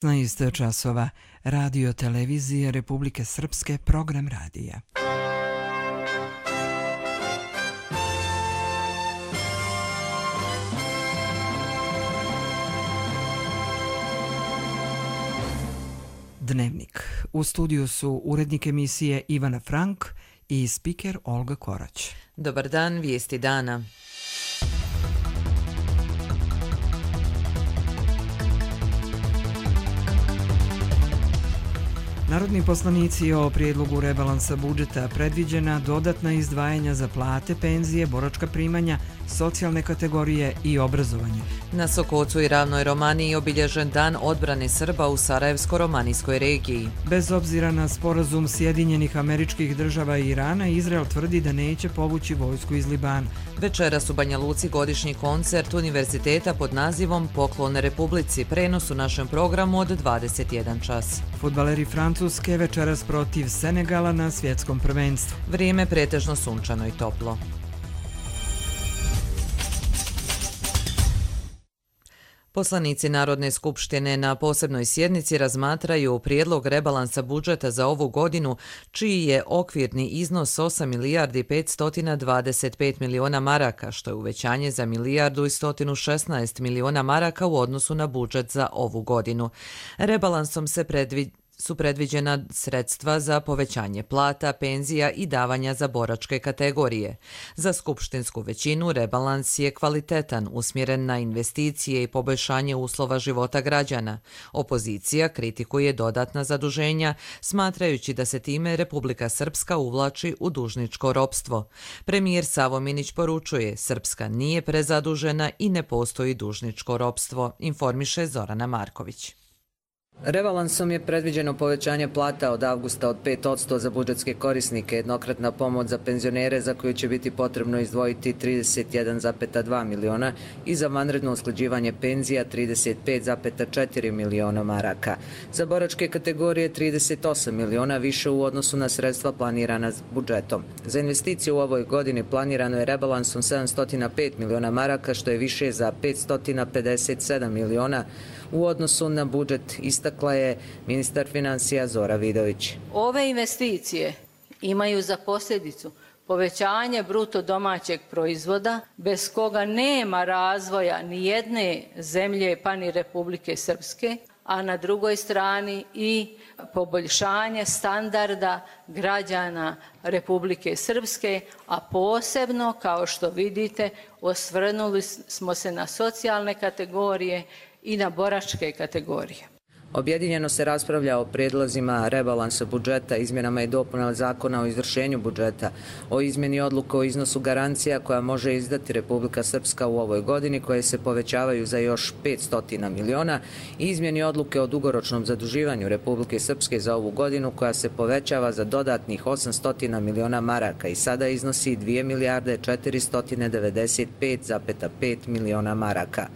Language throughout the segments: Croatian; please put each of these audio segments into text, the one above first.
16 časova, Radio televizije Republike Srpske, program radija. Dnevnik. U studiju su urednik emisije Ivana Frank i spiker Olga Korać. Dobar dan, vijesti dana. Narodni poslanici o prijedlogu rebalansa budžeta predviđena dodatna izdvajanja za plate, penzije, boračka primanja, socijalne kategorije i obrazovanje. Na Sokocu i Ravnoj Romaniji obilježen dan odbrane Srba u Sarajevsko-romanijskoj regiji. Bez obzira na sporazum Sjedinjenih Američkih Država i Irana, Izrael tvrdi da neće povući vojsku iz Libana. Večeras u Banja Luci godišnji koncert univerziteta pod nazivom Poklon Republici, prenos u našem programu od 21 čas. Fudbaleri Francuske večeras protiv Senegala na svjetskom prvenstvu. Vrijeme pretežno sunčano i toplo. Poslanici Narodne skupštine na posebnoj sjednici razmatraju prijedlog rebalansa budžeta za ovu godinu, čiji je okvirni iznos 8 milijardi 525 miliona maraka, što je uvećanje za milijardu i 116 miliona maraka u odnosu na budžet za ovu godinu. Rebalansom su predviđena sredstva za povećanje plata, penzija i davanja za boračke kategorije. Za skupštinsku većinu rebalans je kvalitetan, usmjeren na investicije i poboljšanje uslova života građana. Opozicija kritikuje dodatna zaduženja, smatrajući da se time Republika Srpska uvlači u dužničko ropstvo. Premijer Savo Minić poručuje, Srpska nije prezadužena i ne postoji dužničko ropstvo, informiše Zorana Marković. Rebalansom je predviđeno povećanje plata od avgusta od 5% za budžetske korisnike, jednokratna pomoć za penzionere za koju će biti potrebno izdvojiti 31,2 miliona i za vanredno usklađivanje penzija 35,4 miliona maraka. Za boračke kategorije 38 miliona više u odnosu na sredstva planirana budžetom. Za investicije u ovoj godini planirano je rebalansom 705 miliona maraka, što je više za 557 miliona u odnosu na budžet, istakla je ministar financija Zora Vidović. Ove investicije imaju za posljedicu povećanje bruto domaćeg proizvoda, bez koga nema razvoja ni jedne zemlje pa ni Republike Srpske, a na drugoj strani i poboljšanje standarda građana Republike Srpske, a posebno, kao što vidite, osvrnuli smo se na socijalne kategorije i na boračke kategorije. Objedinjeno se raspravlja o prijedlozima rebalansa budžeta, izmjenama i dopunama zakona o izvršenju budžeta, o izmjeni odluka o iznosu garancija koja može izdati Republika Srpska u ovoj godini, koje se povećavaju za još 500 miliona, i izmjeni odluke o dugoročnom zaduživanju Republike Srpske za ovu godinu, koja se povećava za dodatnih 800 miliona maraka i sada iznosi 2 milijarde 495,5 miliona maraka.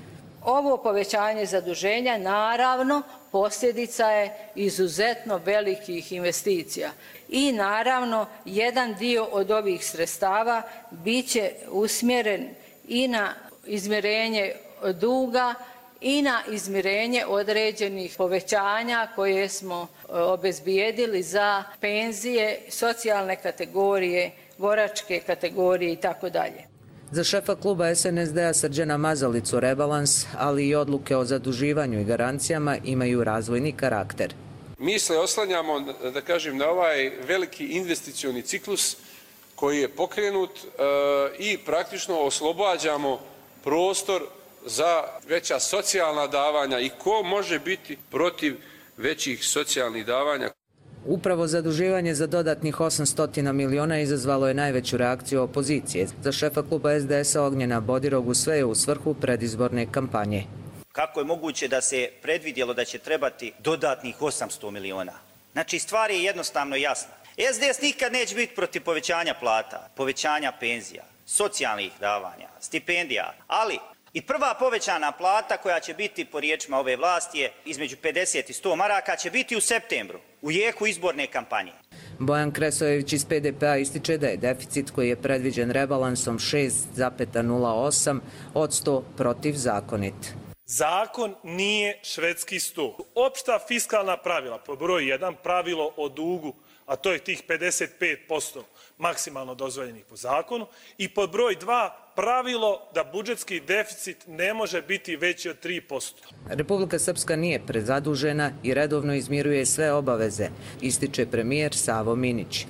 Ovo povećanje zaduženja naravno posljedica je izuzetno velikih investicija i naravno jedan dio od ovih sredstava bit će usmjeren i na izmirenje duga i na izmirenje određenih povećanja koje smo obezbijedili za penzije, socijalne kategorije, boračke kategorije itd. Za šefa kluba SNSD-a Srđana Mazalicu rebalans, ali i odluke o zaduživanju i garancijama imaju razvojni karakter. Mi se oslanjamo, da kažem, na ovaj veliki investicioni ciklus koji je pokrenut i praktično oslobađamo prostor za veća socijalna davanja i ko može biti protiv većih socijalnih davanja. Upravo zaduživanje za dodatnih 800 miliona izazvalo je najveću reakciju opozicije. Za šefa kluba SDS-a Ognjena Bodirogu sve je u svrhu predizborne kampanje. Kako je moguće da se predvidjelo da će trebati dodatnih 800 miliona? Znači, stvar je jednostavno jasna. SDS nikad neće biti protiv povećanja plata, povećanja penzija, socijalnih davanja, stipendija, ali i prva povećana plata koja će biti po riječima ove vlasti je između 50 i 100 maraka će biti u septembru, u jeku izborne kampanje. Bojan Kresojević iz PDP-a ističe da je deficit koji je predviđen rebalansom 6,08% protivzakonit. Zakon nije švedski stol. Opšta fiskalna pravila, po broju 1, pravilo o dugu, a to je tih 55% maksimalno dozvoljenih po zakonu, i pod broj 2, pravilo da budžetski deficit ne može biti veći od 3%. Republika Srpska nije prezadužena i redovno izmiruje sve obaveze, ističe premijer Savo Minić.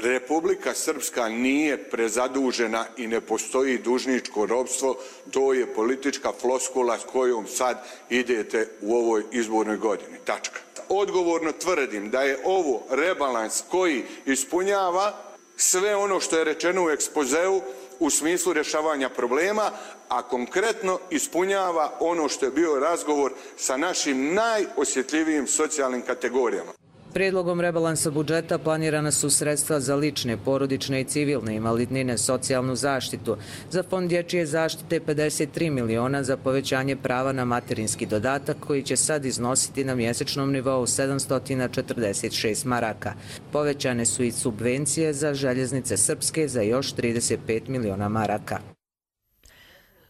Republika Srpska nije prezadužena i ne postoji dužničko ropstvo, to je politička floskula s kojom sad idete u ovoj izbornoj godini. Tačka. Odgovorno tvrdim da je ovo rebalans koji ispunjava sve ono što je rečeno u ekspozeu u smislu rješavanja problema, a konkretno ispunjava ono što je bio razgovor sa našim najosjetljivijim socijalnim kategorijama. Prijedlogom rebalansa budžeta planirana su sredstva za lične, porodične i civilne invalidnine, socijalnu zaštitu, za fond dječje zaštite 53 miliona za povećanje prava na materinski dodatak koji će sad iznositi na mjesečnom nivou 746 maraka. Povećane su i subvencije za željeznice srpske za još 35 miliona maraka.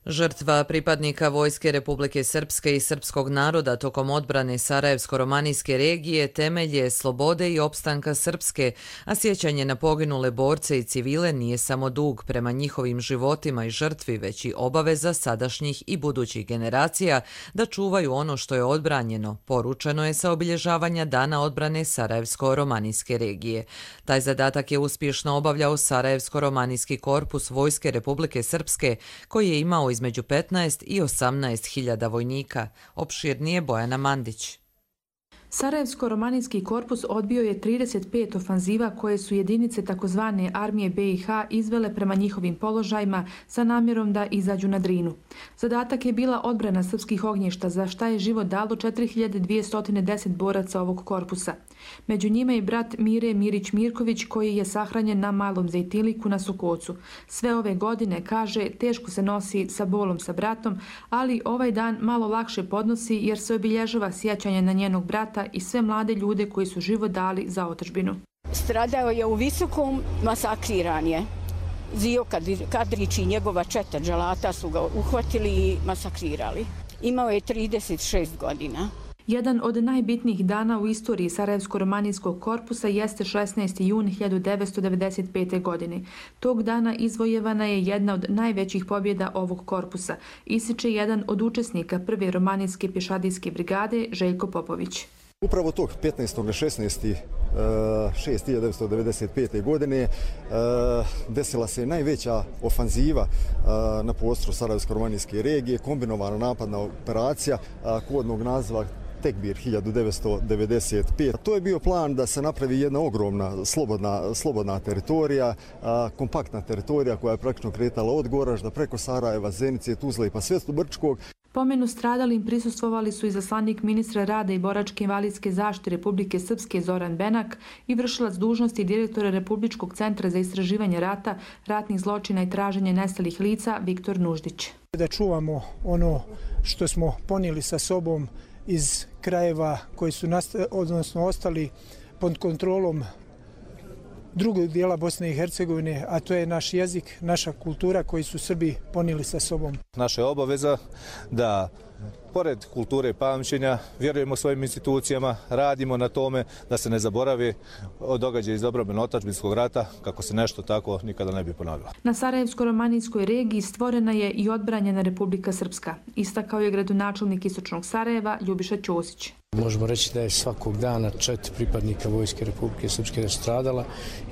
Žrtva pripadnika Vojske Republike Srpske i srpskog naroda tokom odbrane Sarajevsko-romanijske regije temelj je slobode i opstanka Srpske, a sjećanje na poginule borce i civile nije samo dug prema njihovim životima i žrtvi, već i obaveza sadašnjih i budućih generacija da čuvaju ono što je odbranjeno, poručeno je sa obilježavanja Dana odbrane Sarajevsko-romanijske regije. Taj zadatak je uspješno obavljao Sarajevsko-romanijski korpus Vojske Republike Srpske, koji je imao između 15 i 18 hiljada vojnika. Opširnije Bojana Mandić. Sarajevsko-romanijski korpus odbio je 35 ofanziva koje su jedinice takozvane armije BiH izvele prema njihovim položajima sa namjerom da izađu na Drinu. Zadatak je bila odbrana srpskih ognjišta, za šta je život dalo 4210 boraca ovog korpusa. Među njima je brat Mire Mirić-Mirković koji je sahranjen na Malom Zejtiliku na Sokocu. Sve ove godine, kaže, teško se nosi sa bolom sa bratom, ali ovaj dan malo lakše podnosi jer se obilježava sjećanje na njenog brata i sve mlade ljude koji su život dali za otadžbinu. Stradao je u Visokom, masakriran je. Zio Kadrić i njegova četa dželata su ga uhvatili i masakrirali. Imao je 36 godina. Jedan od najbitnijih dana u istoriji Sarajevsko-romanijskog korpusa jeste 16. jun 1995. godine. Tog dana izvojevana je jedna od najvećih pobjeda ovog korpusa, ističe jedan od učesnika prve romanijske pješadijske brigade, Željko Popović. Upravo tog 15.16.1995. godine desila se najveća ofanziva na prostoru Sarajevsko-romanijske regije, kombinovana napadna operacija kodnog naziva Tekbir 1995. To je bio plan da se napravi jedna ogromna slobodna teritorija, kompaktna teritorija koja je praktično kretala od Goražda preko Sarajeva, Zenice, Tuzle i pa sve do Brčkog. Pomenu stradalim prisustvovali su izaslanik ministra rada i boračke invalidske zaštite Republike Srpske Zoran Benak i vršilac dužnosti direktora Republičkog centra za istraživanje rata, ratnih zločina i traženje nestalih lica Viktor Nuždić. Da čuvamo ono što smo ponijeli sa sobom iz krajeva koji su ostali pod kontrolom drugog dijela Bosne i Hercegovine, a to je naš jezik, naša kultura koji su Srbi ponijeli sa sobom. Naša je obaveza da, pored kulture pamćenja, vjerujemo svojim institucijama, radimo na tome da se ne zaboravi događaj iz obrambeno otadžbinskog rata, kako se nešto tako nikada ne bi ponovilo. Na Sarajevsko-romanijskoj regiji stvorena je i odbranjena Republika Srpska, istakao je gradonačelnik Istočnog Sarajeva Ljubiša Ćosić. Možemo reći da je svakog dana 4 pripadnika Vojske Republike Srpske stradala,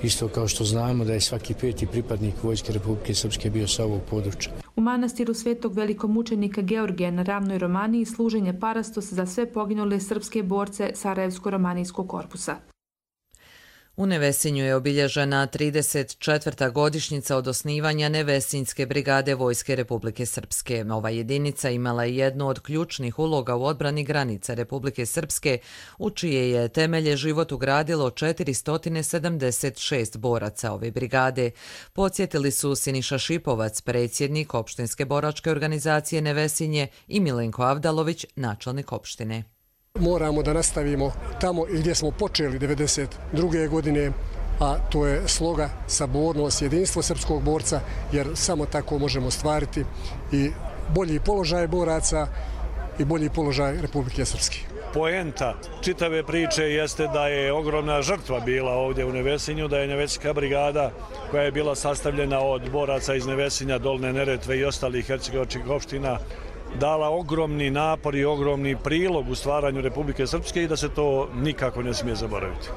isto kao što znamo da je svaki 5. pripadnik Vojske Republike Srpske bio sa ovog područja. U manastiru Svetog velikomučenika Georgija na Ravnoj Romaniji služen je parastos za sve poginule srpske borce Sarajevsko-romanijskog korpusa. U Nevesinju je obilježena 34. godišnjica od osnivanja Nevesinjske brigade Vojske Republike Srpske. Ova jedinica imala je jednu od ključnih uloga u odbrani granica Republike Srpske, u čije je temelje život ugradilo 476 boraca ove brigade. Podsjetili su Siniša Šipovac, predsjednik opštinske boračke organizacije Nevesinje, i Milenko Avdalović, načelnik opštine. Moramo da nastavimo tamo gdje smo počeli 1992. godine, a to je sloga, sabornost, jedinstvo srpskog borca, jer samo tako možemo ostvariti i bolji položaj boraca i bolji položaj Republike Srpske. Poenta čitave priče jeste da je ogromna žrtva bila ovdje u Nevesinju, da je Nevesinjska brigada koja je bila sastavljena od boraca iz Nevesinja, Dolne Neretve i ostalih hercegovačkih opština dala ogromni napor i ogromni prilog u stvaranju Republike Srpske i da se to nikako ne smije zaboraviti.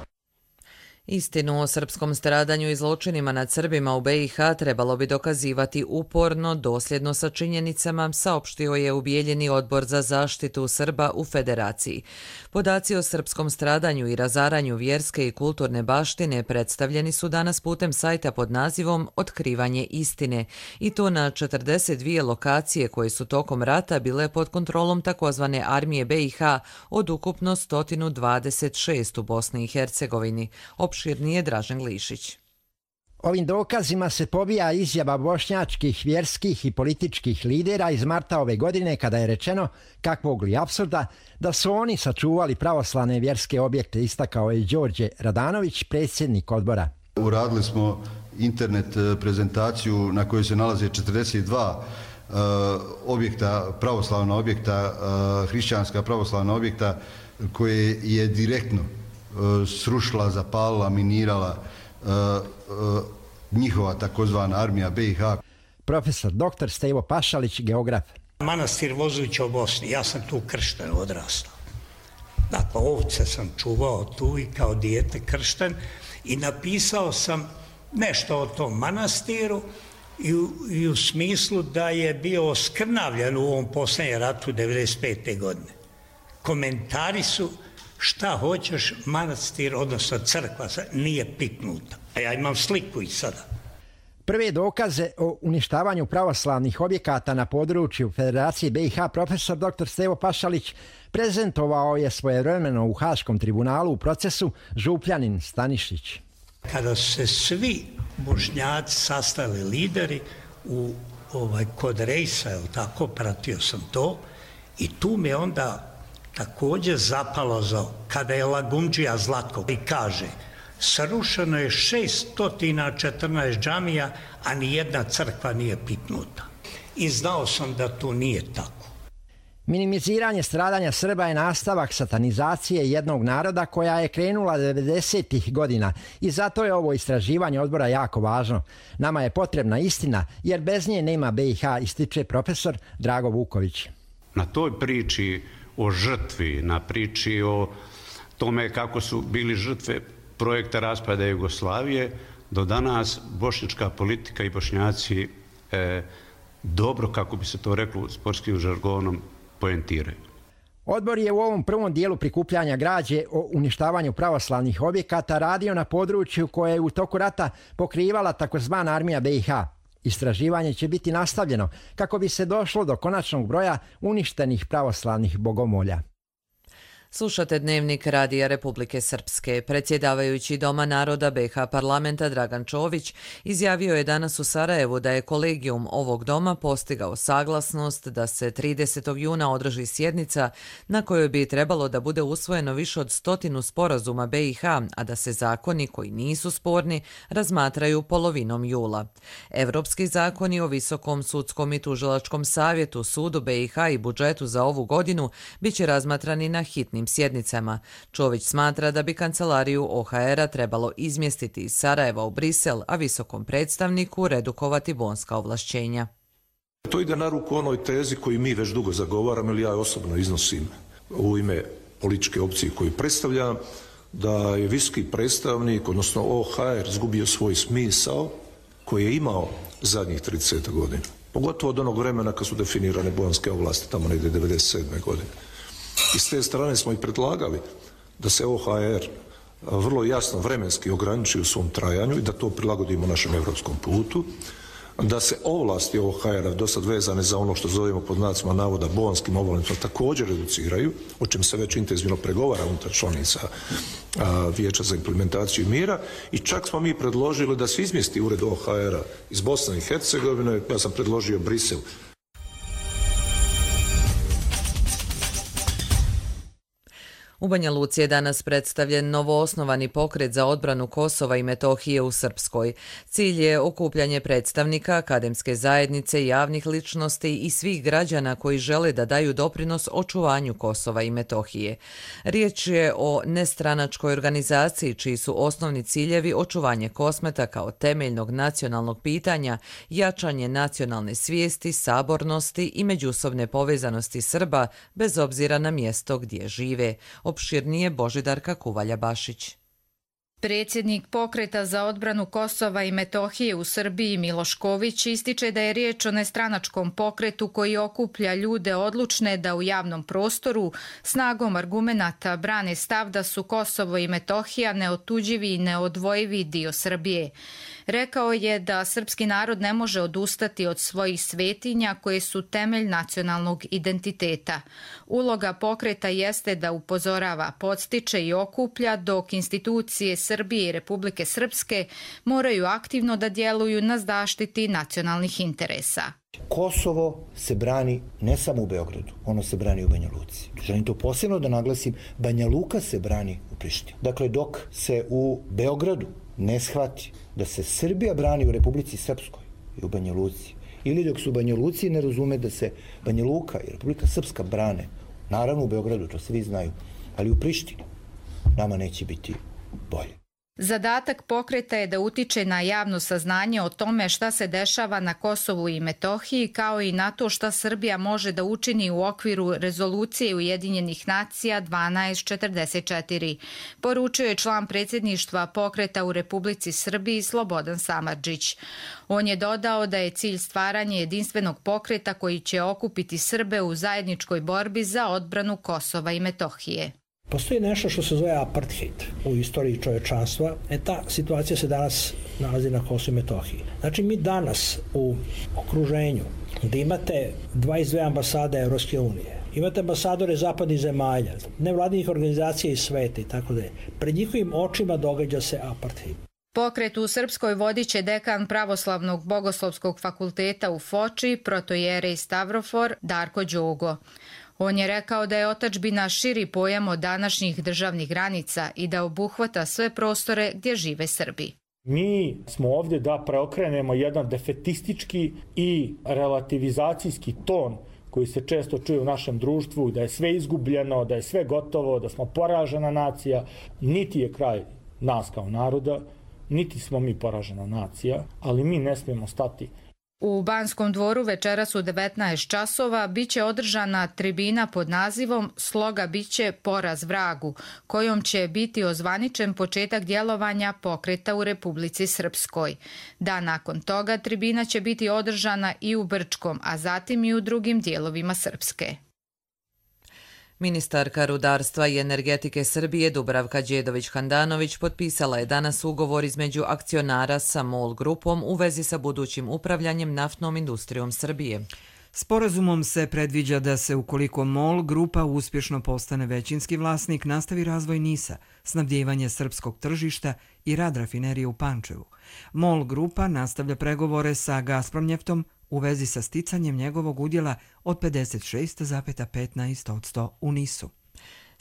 Istinu o srpskom stradanju i zločinima nad Srbima u BiH trebalo bi dokazivati uporno, dosljedno sa činjenicama, saopštio je u Bijeljini Odbor za zaštitu Srba u Federaciji. Podaci o srpskom stradanju i razaranju vjerske i kulturne baštine predstavljeni su danas putem sajta pod nazivom Otkrivanje istine, i to na 42 lokacije koje su tokom rata bile pod kontrolom takozvane armije BiH od ukupno 126 u Bosni i Hercegovini. Opširnije Dražen Glišić. Ovim dokazima se pobija izjava bošnjačkih, vjerskih i političkih lidera iz marta ove godine kada je rečeno, kakvog li apsurda, da su oni sačuvali pravoslavne vjerske objekte, istakao je Đorđe Radanović, predsjednik odbora. Uradili smo internet prezentaciju na kojoj se nalaze 42 objekta, pravoslavna objekta, hrišćanska pravoslavna objekta koje je direktno srušila, zapalila, minirala njihova takozvana armija BiH. Profesor dr. Stevo Pašalić, geograf. Manastir Vozuća u Bosni, ja sam tu kršten odrastao. Dakle, ovce sam čuvao tu i kao dijete kršten i napisao sam nešto o tom manastiru i u smislu da je bio oskrnavljen u ovom posljednjem ratu 1995. godine. Komentari su: šta hoćeš, manastir, odnosno crkva, nije piknuta. A ja imam sliku i sada. Prve dokaze o uništavanju pravoslavnih objekata na području Federacije BiH profesor dr. Stevo Pašalić prezentovao je svojevremeno u Haškom tribunalu u procesu Župljanin Stanišić. Kada su se svi Bošnjaci sastali lideri kod Rejsa, tako, pratio sam to, i tu mi je onda također zapalo kada je Lagundžija Zlatko i kaže: srušeno je 614 džamija, a nijedna crkva nije piknuta. I znao sam da to nije tako. Minimiziranje stradanja Srba je nastavak satanizacije jednog naroda koja je krenula 90-ih godina i zato je ovo istraživanje odbora jako važno. Nama je potrebna istina jer bez nje nema BiH, ističe profesor Drago Vuković. Na toj priči o žrtvi, na priči o tome kako su bili žrtve projekta raspada Jugoslavije, do danas bošnjačka politika i Bošnjaci dobro, kako bi se to reklo sportskim žargonom, poentiraju. Odbor je u ovom prvom dijelu prikupljanja građe o uništavanju pravoslavnih objekata radio na području koje je u toku rata pokrivala takozvana armija BiH. Istraživanje će biti nastavljeno kako bi se došlo do konačnog broja uništenih pravoslavnih bogomolja. Slušate Dnevnik Radija Republike Srpske. Predsjedavajući Doma naroda BiH parlamenta Dragan Čović izjavio je danas u Sarajevu da je kolegijum ovog doma postigao saglasnost da se 30. juna održi sjednica na kojoj bi trebalo da bude usvojeno više od 100 sporazuma BiH, a da se zakoni koji nisu sporni razmatraju polovinom jula. Evropski zakoni o Visokom sudskom i tužilačkom savjetu, sudu BiH i budžetu za ovu godinu biće razmatrani na hitnim sjednicama. Čović smatra da bi kancelariju OHR-a trebalo izmjestiti iz Sarajeva u Brisel, a visokom predstavniku redukovati bonska ovlašćenja. To ide na ruku onoj tezi koju mi već dugo zagovaramo ili ja osobno iznosim u ime političke opcije koju predstavljam, da je visoki predstavnik, odnosno OHR, izgubio svoj smisao koji je imao zadnjih 30 godina. Pogotovo od onog vremena kad su definirane bonske ovlasti, tamo negdje 1997. godine. I s te strane smo i predlagali da se OHR vrlo jasno vremenski ograniči u svom trajanju i da to prilagodimo našem evropskom putu, da se ovlasti OHR-a dosad vezane za ono što zovemo pod znacima navoda bonskim ovlastima također reduciraju, o čem se već intenzivno pregovara unutar članica Vijeća za implementaciju mira, i čak smo mi predložili da se izmjesti ured OHR-a iz Bosne i Hercegovine, ja sam predložio Brisel. U Banja Luci je danas predstavljen novoosnovani pokret za odbranu Kosova i Metohije u Srpskoj. Cilj je okupljanje predstavnika akademske zajednice, javnih ličnosti i svih građana koji žele da daju doprinos očuvanju Kosova i Metohije. Riječ je o nestranačkoj organizaciji čiji su osnovni ciljevi očuvanje Kosmeta kao temeljnog nacionalnog pitanja, jačanje nacionalne svijesti, sabornosti i međusobne povezanosti Srba bez obzira na mjesto gdje žive. Opširnije Božidarka Kuvalja-Bašić. Predsjednik pokreta za odbranu Kosova i Metohije u Srbiji Miloš Ković ističe da je riječ o nestranačkom pokretu koji okuplja ljude odlučne da u javnom prostoru snagom argumenata brane stav da su Kosovo i Metohija neotuđivi i neodvojivi dio Srbije. Rekao je da srpski narod ne može odustati od svojih svetinja koje su temelj nacionalnog identiteta. Uloga pokreta jeste da upozorava, podstiče i okuplja, dok institucije Srbije i Republike Srpske moraju aktivno da djeluju na zaštiti nacionalnih interesa. Kosovo se brani ne samo u Beogradu, ono se brani u Banja Luci. Želim to posebno da naglasim, Banja Luka se brani u Prištini. Dakle, dok se u Beogradu ne shvati da se Srbija brani u Republici Srpskoj i u Banja Luci, ili dok su u Banja Luci ne razume da se Banja Luka i Republika Srpska brane, naravno u Beogradu, to svi znaju, ali u Prištini nama neće biti bolje. Zadatak pokreta je da utiče na javno saznanje o tome šta se dešava na Kosovu i Metohiji, kao i na to šta Srbija može da učini u okviru rezolucije Ujedinjenih nacija 1244, poručio je član predsjedništva pokreta u Republici Srbiji Slobodan Samardžić. On je dodao da je cilj stvaranje jedinstvenog pokreta koji će okupiti Srbe u zajedničkoj borbi za odbranu Kosova i Metohije. Postoji nešto što se zove apartheid u istoriji čovječanstva. Ta situacija se danas nalazi na Kosovu i Metohiji. Znači, mi danas u okruženju gdje imate 22 ambasade Evropske unije, imate ambasadore zapadnih zemalja, nevladinih organizacija iz sveta i tako da je. Pred njihovim očima događa se apartheid. Pokret u Srpskoj vodit će dekan Pravoslavnog bogoslovskog fakulteta u Foči, protojerej Stavrofor Darko Đogo. On je rekao da je otadžbina širi pojam od današnjih državnih granica i da obuhvata sve prostore gdje žive Srbi. Mi smo ovdje da preokrenemo jedan defetistički i relativizacijski ton koji se često čuje u našem društvu, da je sve izgubljeno, da je sve gotovo, da smo poražena nacija. Niti je kraj nas kao naroda, niti smo mi poražena nacija, ali mi ne smijemo stati. U Banskom dvoru večeras u 19 časova biće održana tribina pod nazivom Sloga biće poraz vragu, kojom će biti ozvaničen početak djelovanja pokreta u Republici Srpskoj. Dan nakon toga tribina će biti održana i u Brčkom, a zatim i u drugim dijelovima Srpske. Ministarka rudarstva i energetike Srbije Dubravka Đedović-Handanović potpisala je danas ugovor između akcionara sa MOL grupom u vezi sa budućim upravljanjem naftnom industrijom Srbije. Sporazumom se predviđa da se, ukoliko MOL grupa uspješno postane većinski vlasnik, nastavi razvoj NIS-a, snabdijevanje srpskog tržišta i rad rafinerije u Pančevu. MOL grupa nastavlja pregovore sa Gazpromnjeftom u vezi sa sticanjem njegovog udjela od 56,15% u NIS-u.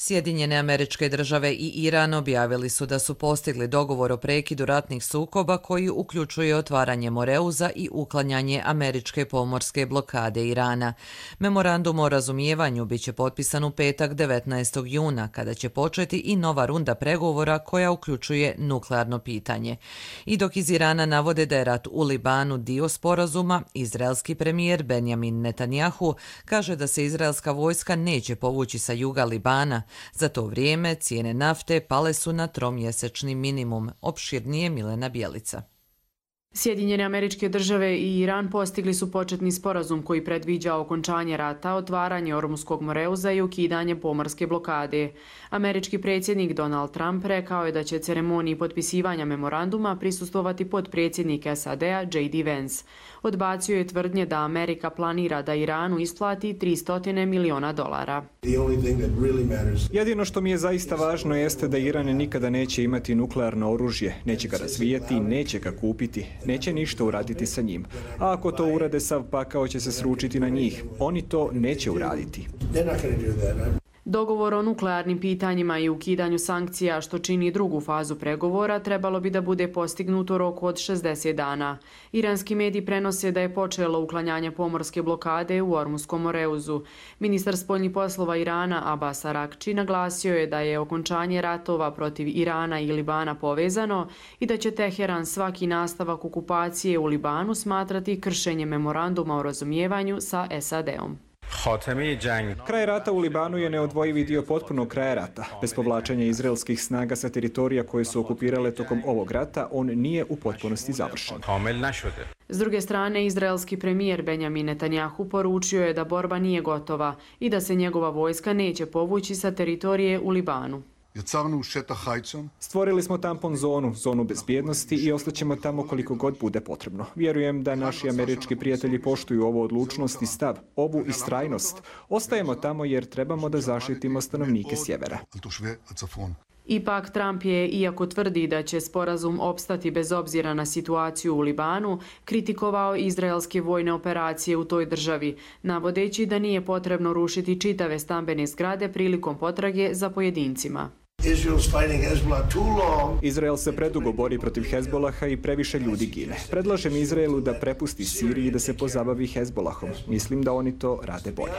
Sjedinjene Američke Države i Iran objavili su da su postigli dogovor o prekidu ratnih sukoba koji uključuje otvaranje Moreuza i uklanjanje američke pomorske blokade Irana. Memorandum o razumijevanju biće potpisan u petak 19. juna, kada će početi i nova runda pregovora koja uključuje nuklearno pitanje. I dok iz Irana navode da je rat u Libanu dio sporazuma, izraelski premijer Benjamin Netanjahu kaže da se izraelska vojska neće povući sa juga Libana. Za to vrijeme cijene nafte pale su na tromjesečni minimum. Opširnije Milena Bjelica. Sjedinjene Američke Države i Iran postigli su početni sporazum koji predviđa okončanje rata, otvaranje Ormuskog Moreuza i ukidanje pomorske blokade. Američki predsjednik Donald Trump rekao je da će ceremoniji potpisivanja memoranduma prisustvovati potpredsjednik SAD-a J.D. Vance. Odbacio je tvrdnje da Amerika planira da Iranu isplati $300 miliona. Jedino što mi je zaista važno jeste da Iran nikada neće imati nuklearno oružje, neće ga razvijati, neće ga kupiti. Neće ništa uraditi sa njim. A ako to urade, sav pakao će se sručiti na njih. Oni to neće uraditi. Dogovor o nuklearnim pitanjima i ukidanju sankcija, što čini drugu fazu pregovora, trebalo bi da bude postignuto u roku od 60 dana. Iranski mediji prenose da je počelo uklanjanje pomorske blokade u Ormuskom Moreuzu. Ministar spoljnih poslova Irana Abbas Araghči naglasio je da je okončanje ratova protiv Irana i Libana povezano i da će Teheran svaki nastavak okupacije u Libanu smatrati kršenjem memoranduma o razumijevanju sa SAD-om. Kraj rata u Libanu je neodvojivi dio potpunog kraja rata. Bez povlačenja izraelskih snaga sa teritorija koje su okupirale tokom ovog rata, on nije u potpunosti završen. S druge strane, izraelski premijer Benjamin Netanjahu poručio je da borba nije gotova i da se njegova vojska neće povući sa teritorije u Libanu. Stvorili smo tampon zonu bezbjednosti i ostaćemo tamo koliko god bude potrebno. Vjerujem da naši američki prijatelji poštuju ovu odlučnost i stav, ovu istrajnost. Ostajemo tamo jer trebamo da zaštitimo stanovnike sjevera. Ipak Trump je, iako tvrdi da će sporazum opstati bez obzira na situaciju u Libanu, kritikovao izraelske vojne operacije u toj državi, navodeći da nije potrebno rušiti čitave stambene zgrade prilikom potrage za pojedincima. Izrael se predugo bori protiv Hezbolaha i previše ljudi gine. Predlažem Izraelu da prepusti Siriji i da se pozabavi Hezbolahom. Mislim da oni to rade bolje.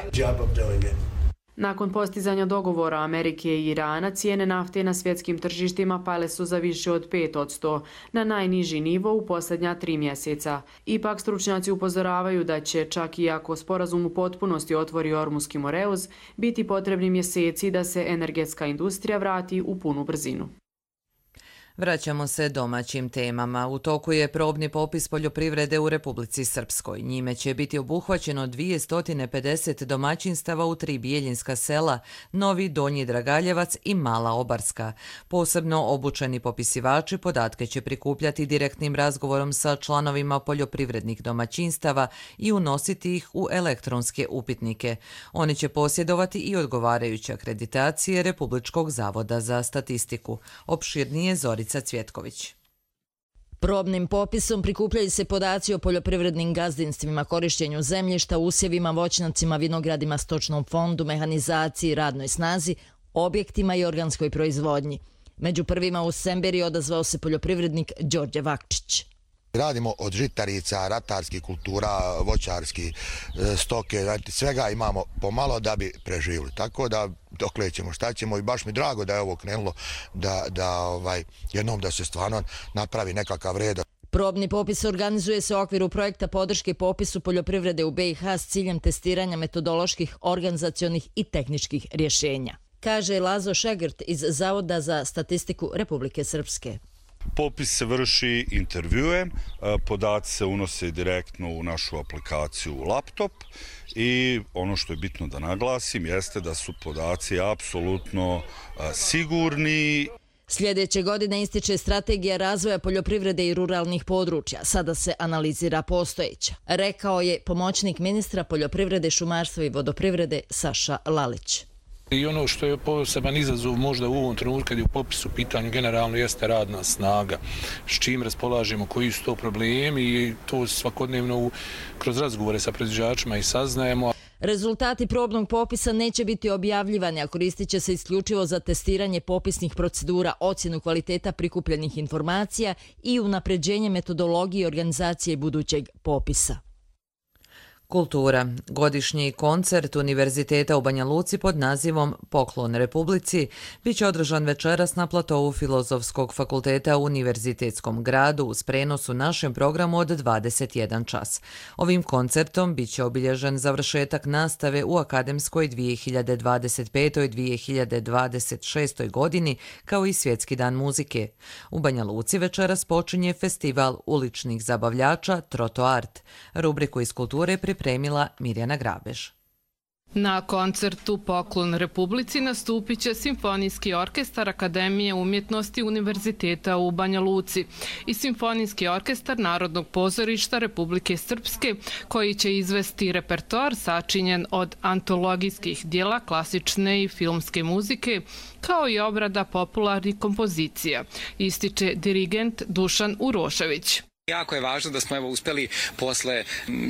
Nakon postizanja dogovora Amerike i Irana, cijene nafte na svjetskim tržištima pale su za više od 5%, na najniži nivo u posljednja 3 mjeseca. Ipak stručnjaci upozoravaju da će, čak i ako sporazum u potpunosti otvori Ormuski Moreuz, biti potrebni mjeseci da se energetska industrija vrati u punu brzinu. Vraćamo se domaćim temama. U toku je probni popis poljoprivrede u Republici Srpskoj. Njime će biti obuhvaćeno 250 domaćinstava u 3 bijeljinska sela, Novi, Donji Dragaljevac i Mala Obarska. Posebno obučeni popisivači podatke će prikupljati direktnim razgovorom sa članovima poljoprivrednih domaćinstava i unositi ih u elektronske upitnike. Oni će posjedovati i odgovarajuće akreditacije Republičkog zavoda za statistiku. Opširnije Zorica Cvjetković. Probnim popisom prikupljaju se podaci o poljoprivrednim gazdinstvima, korištenju zemljišta, usjevima, voćnjacima, vinogradima, stočnom fondu, mehanizaciji, radnoj snazi, objektima i organskoj proizvodnji. Među prvima u Semberi odazvao se poljoprivrednik Đorđe Vakčić. Radimo od žitarica, ratarskih kultura, voćarskih, stoke, svega imamo pomalo da bi preživjeli. Tako da dokle ćemo, šta ćemo, i baš mi drago da je ovo krenulo, jednom da se stvarno napravi nekakav red. Probni popis organizuje se u okviru projekta podrške popisu poljoprivrede u BiH s ciljem testiranja metodoloških, organizacionih i tehničkih rješenja, kaže Lazo Šegrt iz Zavoda za statistiku Republike Srpske. Popis se vrši intervjuem, podaci se unose direktno u našu aplikaciju laptop i ono što je bitno da naglasim jeste da su podaci apsolutno sigurni. Sljedeće godine ističe strategija razvoja poljoprivrede i ruralnih područja. Sada se analizira postojeća, rekao je pomoćnik ministra poljoprivrede, šumarstva i vodoprivrede Saša Lalić. I ono što je poseban izazov možda u ovom trenutku kad je u popisu pitanju generalno jeste radna snaga. S čim raspolažemo, koji su to problemi i to svakodnevno kroz razgovore sa proizvođačima i saznajemo. Rezultati probnog popisa neće biti objavljivani, a koristit će se isključivo za testiranje popisnih procedura, ocjenu kvaliteta prikupljenih informacija i unapređenje metodologije organizacije budućeg popisa. Kultura. Godišnji koncert Univerziteta u Banja Luci pod nazivom Poklon Republici biće održan večeras na platovu Filozofskog fakulteta u Univerzitetskom gradu uz prenos u našem programu od 21 čas. Ovim koncertom biće obilježen završetak nastave u akademskoj 2025-2026 godini kao i Svjetski dan muzike. U Banja Luci večeras počinje festival uličnih zabavljača Troto Art. Rubriku iz kulture pripremila Mirjana Grabež. Na koncertu Poklon Republici nastupit će Simfonijski orkestar Akademije umjetnosti Univerziteta u Banja Luci i Simfonijski orkestar Narodnog pozorišta Republike Srpske, koji će izvesti repertoar sačinjen od antologijskih dijela klasične i filmske muzike, kao i obrada popularnih kompozicija, ističe dirigent Dušan Urošević. Jako je važno da smo uspeli posle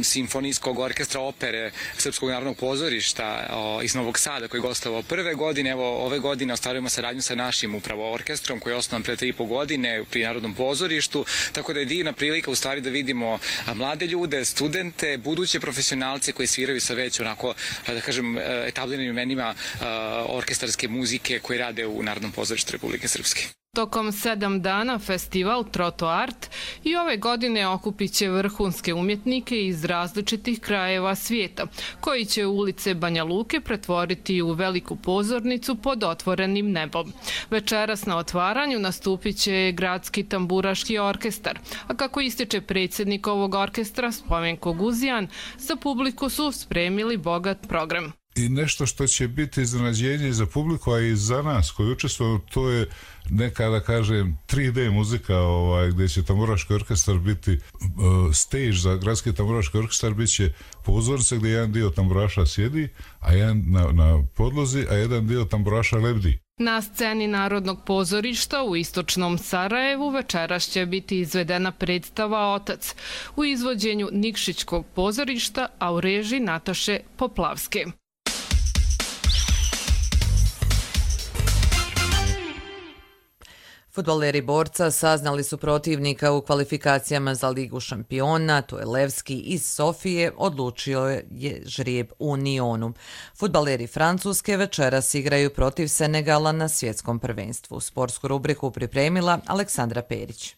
simfonijskog orkestra opere Srpskog narodnog pozorišta iz Novog Sada koji je gostovao prve godine. Ove godine ostvarujemo saradnju sa našim upravo orkestrom koji je osnovan pre 3,5 godine pri Narodnom pozorištu. Tako da je divna prilika u stvari da vidimo mlade ljude, studente, buduće profesionalce koji sviraju sa već onako, da kažem, etabliranim imenima orkestarske muzike koji rade u Narodnom pozorištu Republike Srpske. Tokom 7 dana festival Troto Art i ove godine okupit će vrhunske umjetnike iz različitih krajeva svijeta, koji će ulice Banja Luke pretvoriti u veliku pozornicu pod otvorenim nebom. Večeras na otvaranju nastupit će Gradski tamburaški orkestar, a kako ističe predsjednik ovog orkestra Spomenko Guzijan, za publiku su spremili bogat program. I nešto što će biti iznenađenje za publiku, a i za nas koji učestvujemo, to je neka, da kažem, 3D muzika gdje će tamburaški orkestar biti stage za Gradski tamburaški orkestar, bit će pozornica gdje jedan dio tamburaša sjedi, a jedan na podlozi, a jedan dio tamburaša lebdi. Na sceni Narodnog pozorišta u istočnom Sarajevu večeras će biti izvedena predstava Otac u izvođenju Nikšićkog pozorišta, a u režiji Nataše Poplavske. Fudbaleri Borca saznali su protivnika u kvalifikacijama za Ligu šampiona, to je Levski iz Sofije, odlučio je žrijeb u Nionu. Fudbaleri Francuske večeras igraju protiv Senegala na svjetskom prvenstvu. Sportsku rubriku pripremila Aleksandra Perić.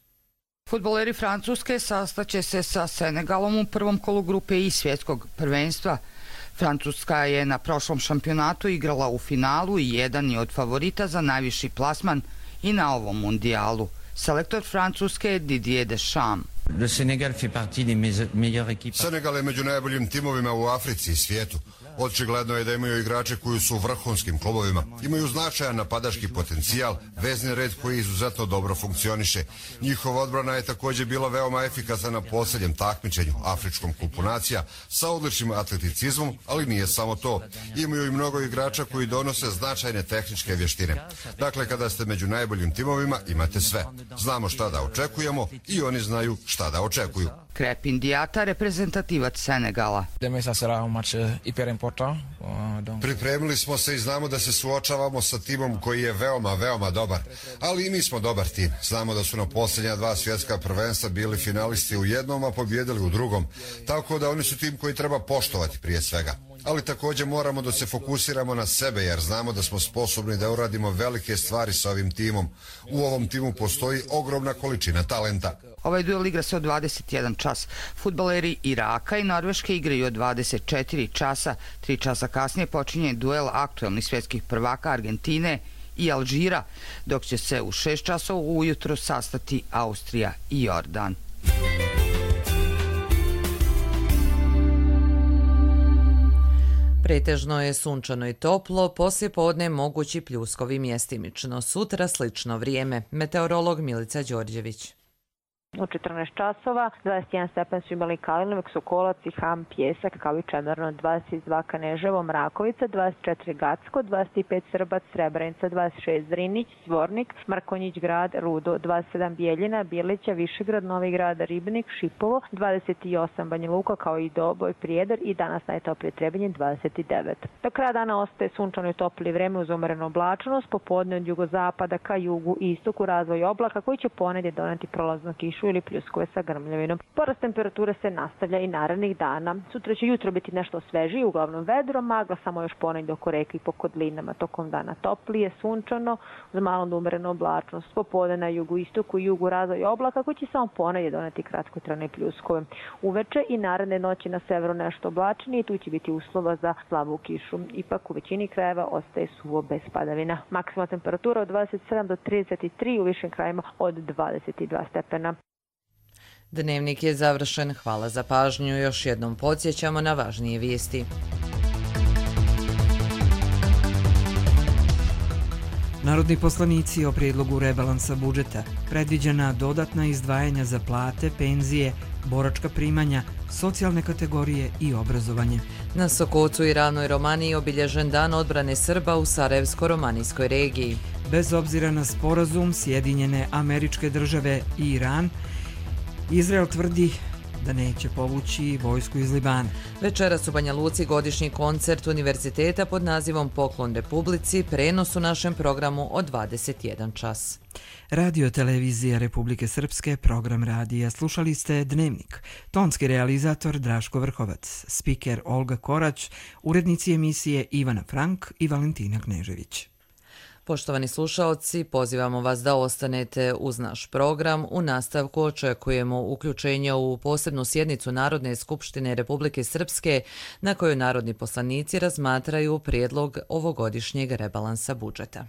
Fudbaleri Francuske sastaće se sa Senegalom u prvom kolu grupe I svjetskog prvenstva. Francuska je na prošlom šampionatu igrala u finalu i jedan je od favorita za najviši plasman i na ovom mundijalu. Selektor Francuske Didier Deschamps. Senegal je među najboljim timovima u Africi i svijetu. Očigledno je da imaju igrače koji su u vrhunskim klubovima. Imaju značajan napadaški potencijal, vezni red koji izuzetno dobro funkcioniše. Njihova odbrana je također bila veoma efikasna na posljednjem takmičenju, Afričkom kupu nacija, sa odličnim atleticizmom, ali nije samo to. Imaju i mnogo igrača koji donose značajne tehničke vještine. Dakle, kada ste među najboljim timovima, imate sve. Znamo šta da očekujemo i oni znaju šta da očekuju. Krepin Diata, reprezentativac Senegala. Pripremili smo se i znamo da se suočavamo sa timom koji je veoma, veoma dobar. Ali i mi smo dobar tim. Znamo da su na posljednja 2 svjetska prvenstva bili finalisti u jednom, a pobjedili u drugom. Tako da oni su tim koji treba poštovati prije svega. Ali također moramo da se fokusiramo na sebe jer znamo da smo sposobni da uradimo velike stvari sa ovim timom. U ovom timu postoji ogromna količina talenta. Ovaj duel igra se od 21 čas. Fudbaleri Iraka i Norveške igraju od 24 časa. 3 časa kasnije počinje duel aktuelnih svjetskih prvaka Argentine i Alžira, dok će se u 6 časova ujutro sastati Austrija i Jordan. Pretežno je sunčano i toplo, poslije podne mogući pljuskovi mjestimično. Sutra slično vrijeme. Meteorolog Milica Đorđević. U 14 časova, 21 stepen su imali Kalinovek, Sokolac i Ham, Pjesak, kao i Čemerno, 22 Kaneževo, Mrakovica, 24 Gacko, 25 Srbac, Srebrenica, 26 Zrinić, Zvornik, Markonjić grad, Rudo, 27 Bijeljina, Bijelića, Višegrad, Novi grad, Ribnik, Šipovo, 28 Banja Luka, kao i Doboj, Prijedor i danas najtoplije Trebinje, 29. Do kraja dana ostaje sunčano i topli vreme uz umerenu oblačnost, popodne od jugozapada ka jugu i istoku razvoj oblaka koji će ponedje doneti prolaznu kišu ili pljuskove sa grmljavinom. Porast temperature se nastavlja i narednih dana. Sutra će jutro biti nešto svežije, uglavnom vedro, magla samo još ponegdje oko reke i po kodlinama. Tokom dana toplije, sunčano, uz malo umerenu oblačnost. Popodne na jugu istoku i jugu razvoj oblaka koji će samo ponedje doneti kratkotrajne pljuskove. Uveče i naredne noći na severu nešto oblačenije i tu će biti uslova za slabu kišu. Ipak u većini krajeva ostaje suvo bez padavina. Maksimalna temperatura od 27 do 33, u višim krajima od 22 stepena. Dnevnik je završen. Hvala za pažnju. Još jednom podsjećamo na važnije vijesti. Narodni poslanici o prijedlogu rebalansa budžeta, predviđena dodatna izdvajanja za plate, penzije, boračka primanja, socijalne kategorije i obrazovanje. Na Sokocu i Ravnoj Romaniji obilježen dan odbrane Srba u Sarajevsko-romanijskoj regiji. Bez obzira na sporazum Sjedinjene Američke Države i Iran Izrael tvrdi da neće povući vojsku iz Libana. Večeras u Banja Luci godišnji koncert univerziteta pod nazivom Poklon Republici, prenos u našem programu od 21 čas. Radio televizija Republike Srpske, program radija. Slušali ste Dnevnik. Tonski realizator Draško Vrhovac, spiker Olga Korać, urednici emisije Ivana Frank i Valentina Knežević. Poštovani slušaoci, pozivamo vas da ostanete uz naš program. U nastavku očekujemo uključenje u posebnu sjednicu Narodne skupštine Republike Srpske na kojoj narodni poslanici razmatraju prijedlog ovogodišnjeg rebalansa budžeta.